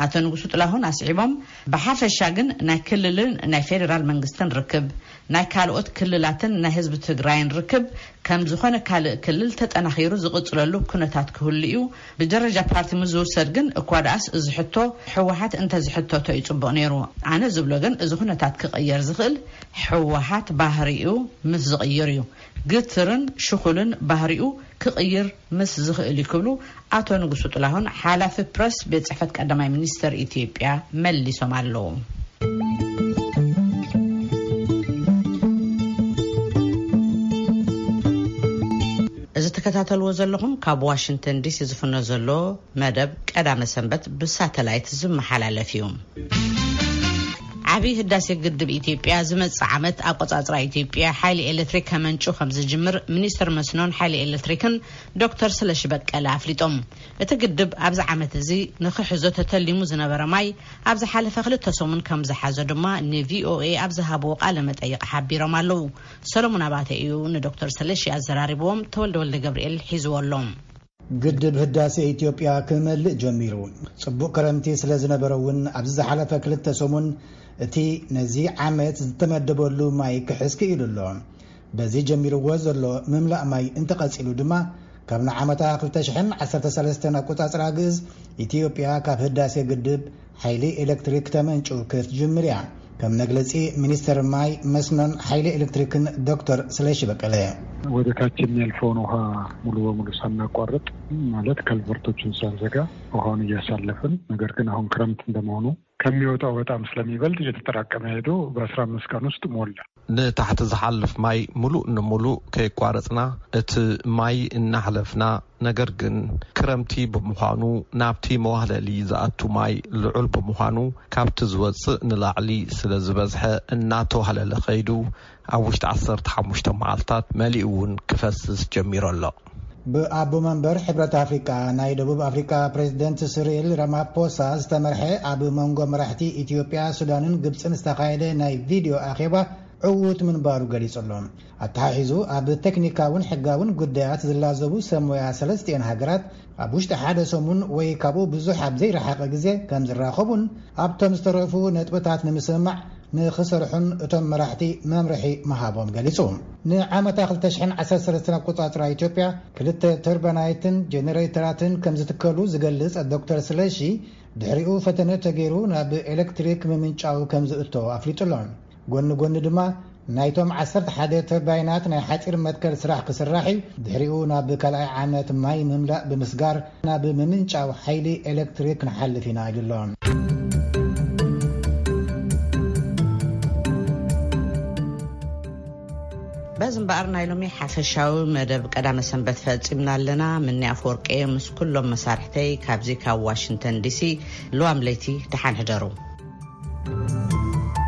ኣቶ ንጉሱ ጥላሁን ኣስዒቦም፣ ብሓፈሻ ግን ናይ ክልልን ናይ ፌደራል መንግስትን ርክብ፣ ናይ ካልኦት ክልላትን ናይ ህዝቢ ትግራይን ርክብ ከም ዝኾነ ካልእ ክልል ተጠናኺሩ ዝቕጽለሉ ኩነታት ክህሉ እዩ። ብደረጃ ፓርቲ ምስ ዝውሰድ ግን እኳ ደኣስ እዚ ሕቶ ህወሓት እንተዝሕተቶ እዩ ጽቡቕ ነይሩ። ኣነ ዝብሎ ግን እዚ ኩነታት ክቕየር ዝኽእል ህወሓት ባህሪኡ ምስ ዝቕይር እዩ። ግትርን ሽኹልን ባህሪኡ ክቕይር ምስ ዝኽእል እዩ ክብሉ ኣቶ ንጉሱ ጥላሁን ሓላፊ ፕረስ ቤት ጽሕፈት ቀዳማይ ሚኒስተር ኢትዮጵያ መሊሶም ኣለዉ። እዚ ትከታተልዎ ዘለኹም ካብ ዋሽንግተን ዲሲ ዝፍኖ ዘሎ መደብ ቀዳመ ሰንበት ብሳተላይት ዝመሓላለፍ እዩ። ዓብዪ ህዳሴ ግድብ ኢትዮጵያ ዝመጽእ ዓመት ኣቆጻጽራ ኢትዮጵያ ሓይሊ ኤሌክትሪክ ከመንጩ ከም ዝጅምር ሚኒስትር መስኖን ሓይሊ ኤሌክትሪክን ዶክተር ስለሺ በቀለ ኣፍሊጦም። እቲ ግድብ ኣብዚ ዓመት እዚ ንክሕዞ ተተሊሙ ዝነበረ ማይ ኣብ ዝሓለፈ ክልተ ሰሙን ከም ዝሓዞ ድማ ንቪኦኤ ኣብ ዝሃብዎ ቃለ መጠይቕ ሓቢሮም ኣለዉ። ሰሎሞን ኣባተ እዩ ንዶክተር ስለሺ ኣዘራሪብዎም፣ ተወልደ ወልደ ገብርኤል ሒዝዎ ኣሎ። ግድብ ህዳሴ ኢትዮጵያ ክመልእ ጀሚሩ። ጽቡቕ ክረምቲ ስለ ዝነበረ እውን ኣብዚ ዝሓለፈ ክልተ ሰሙን እቲ ነዚ ዓመት ዝተመደበሉ ማይ ክሕዝ ክኢሉ ኣሎ። በዚ ጀሚርዎ ዘሎ ምምላእ ማይ እንተቐጺሉ ድማ ካብ ንዓመታ ክልተ ሽሕን ዓሰርተ ሰለስተን ኣቆጻጽራ ግእዝ ኢትዮጵያ ካብ ህዳሴ ግድብ ሓይሊ ኤሌክትሪክ ተመንጩ ክትጅምር እያ። ከም መግለጺ ሚኒስትር ማይ መስኖን ሓይሊ ኤሌክትሪክን ዶክተር ስለሺ በቀለ። ወደ ታች የሚያልፈውን ውሃ ሙሉ በሙሉ ሳናቋርጥ ማለት ከልቨርቶችን ሳንዘጋ ውሃውን እያሳለፍን፣ ነገር ግን አሁን ክረምት እንደመሆኑ ከሚወጣው በጣም ስለሚበልጥ እየተጠራቀመ ሄዶ በአስራ አምስት ቀን ውስጥ ሞላ። ንታሕቲ ዝሓልፍ ማይ ሙሉእ ንሙሉእ ከየቋረጽና እቲ ማይ እናሕለፍና፣ ነገር ግን ክረምቲ ብምዃኑ ናብቲ መዋህለሊ ዝኣቱ ማይ ልዑል ብምዃኑ ካብቲ ዝወጽእ ንላዕሊ ስለ ዝበዝሐ እናተዋህለለ ከይዱ ኣብ ውሽጢ ዓሰርተ ሓሙሽተ መዓልታት መሊኡ እውን ክፈስስ ጀሚሩ ኣሎ። ብኣቦ መንበር ሕብረት ኣፍሪቃ ናይ ደቡብ ኣፍሪቃ ፕሬዚደንት ስሪል ራማፖሳ ዝተመርሐ ኣብ መንጎ መራሕቲ ኢትዮጵያ፣ ሱዳንን ግብፅን ዝተኻየደ ናይ ቪድዮ ኣኼባ ዕዉት ምንባሩ ገሊጹ ኣሎ። ኣተሓሒዙ ኣብ ቴክኒካውን ሕጋውን ጉዳያት ዝላዘቡ ሰብ ሞያ ሰለስቲኤን ሃገራት ኣብ ውሽጢ ሓደ ሰሙን ወይ ካብኡ ብዙሕ ኣብ ዘይረሓቐ ግዜ ከም ዝራኸቡን ኣብቶም ዝተረፉ ነጥብታት ንምስምማዕ ንኽሰርሑን እቶም መራሕቲ መምርሒ ምሃቦም ገሊጹ። ንዓመታ ክልተ ሽሕን ዓሰርተ ሰለስተን ኣቆጻጽራ ኢትዮጵያ ክልተ ተርባናይትን ጀነሬተራትን ከም ዝትከሉ ዝገልጽ ዶክተር ስለሺ፣ ድሕሪኡ ፈተነ ተገይሩ ናብ ኤሌክትሪክ ምምንጫው ከም ዝእቶ ኣፍሊጡ ኣሎ። ጎኒ ጎኒ ድማ ናይቶም ዓሰርተ ሓደ ተርባይናት ናይ ሓጺር መትከል ስራሕ ክስራሕ እዩ። ድሕሪኡ ናብ ካልኣይ ዓመት ማይ ምምላእ ብምስጋር ናብ ምምንጫው ሓይሊ ኤሌክትሪክ ክንሓልፍ ኢና ኢሉ ኣሎ። በዚ እምበኣር ናይ ሎሚ ሓፈሻዊ መደብ ቀዳመ ሰንበት ፈጺምና ኣለና። ምኒ ኣፈወርቂ ምስ ኩሎም መሳርሕተይ ካብዚ ካብ ዋሽንግተን ዲሲ ልዋም ለይቲ ደሓን ሕደሩ።